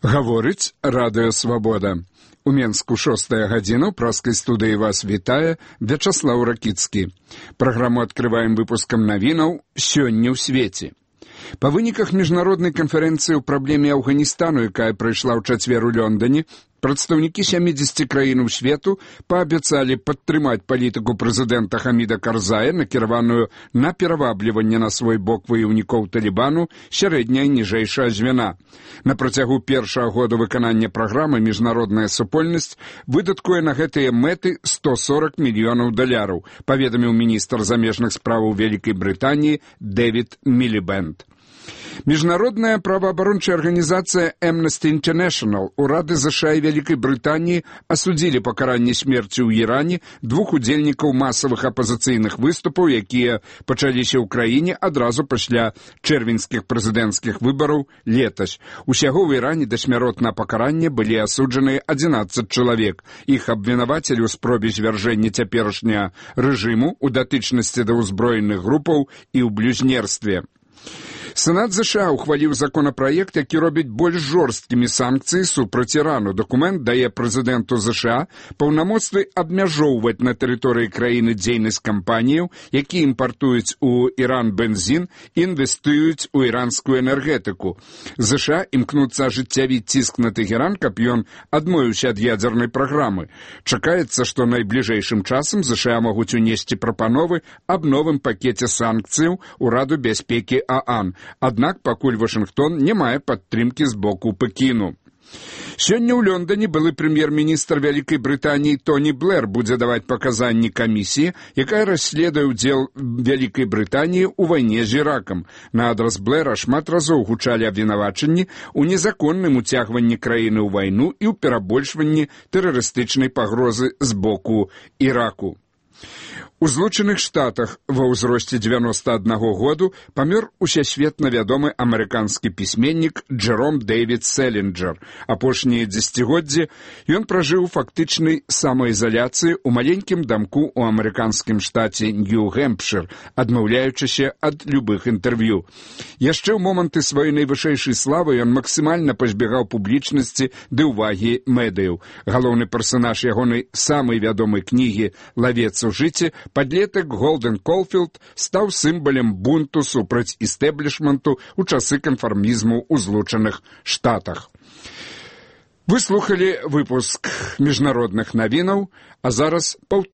Гаворыць Радыё Свабода. У Менску 6-я гадзіна, ў праскай студыі вас вітае Вячаслаў Ракіцкі. Праграму адкрываем выпускам навінаў «Сёння ў свеце». Па выніках міжнароднай канферэнцыі ў праблеме Афганістану, якая прайшла ў чацвер у Лондоне, прадстаўнікі 70 краінаў свету паабяцалі падтрымаць палітыку прэзідэнта Хаміда Карзая, накіраваную на перавабліванне на свой бок ваяўнікоў Талібану сярэдняя і ніжэйшая звяна. На працягу першага года выканання праграмы міжнародная супольнасць выдаткуе на гэтыя мэты $140 мільёнаў, паведаміў міністр замежных справаў Вялікай Брытаніі Дэвід Мілібэнд. Міжнародная праваабарончая арганізацыя Amnesty International, урады США і Вялікай Брытаніі асудзілі пакаранне смерці ў Іране двух удзельнікаў масавых апазіцыйных выступаў, якія пачаліся ў краіне адразу пасля чэрвеньскіх прэзідэнцкіх выбараў летась. Усяго ў Іране да смяротнага пакарання былі асуджаныя 11 чалавек. Іх абвінавацілі ў спробе звяржэння цяперашняга рэжыму, у датычнасці да ўзброеных групаў і ў блюзнерстве. Сенат США ухваліў законапраект, які робіць больш жорсткімі санкцыі супраць Ірану. Дакумент дае прэзідэнту США паўнамоцтвы абмяжоўваць на тэрыторыі краіны дзейнасць кампаніяў, якія імпартуюць у Іран бензін і інвестуюць у іранскую энергетыку. США імкнуцца ажыццявіць ціск на Тэгеран, каб ён адмовіўся ад ядзернай праграмы. Чакаецца, што найбліжэйшым часам США могуць унесці прапановы аб новым пакеце санкцыяў у Раду бяспекі ААН. Аднак пакуль Вашынгтон не мае падтрымкі з боку Пекіну. Сёння ў Лондоне былы прэм'ер-міністр Вялікай Брытаніі Тоні Блэр будзе даваць паказанні камісіі, якая расследуе ўдзел Вялікай Брытаніі ў вайне з Іракам. На адрас Блэра шмат разоў гучалі абвінавачанні ў незаконным уцягванні краіны ў вайну і ў перабольшванні тэрарыстычнай пагрозы з боку Іраку. У Злучаных Штатах ва ўзросце 91 году памёр усесветна вядомы амерыканскі пісьменнік Джэром Дэвід Селінджер. Апошнія дзесяцігоддзі ён пражыў фактычнай самаізаляцыі ў маленькім дамку ў амерыканскім штаце Нью-Гэмпшыр, адмаўляючыся ад любых інтэрв'ю. Яшчэ ў моманты сваёй найвышэйшай славы ён максімальна пазбегаў публічнасці ды ўвагі медыяў. Галоўны персанаж ягонай самай вядомай кнігі «Лавец у жыце» падлетак Голден Колфілд стаў сімвалам бунту супраць істэблішменту ў часы канфармізму ў Злучаных Штатах. Вы слухалі выпуск міжнародных навінаў, а зараз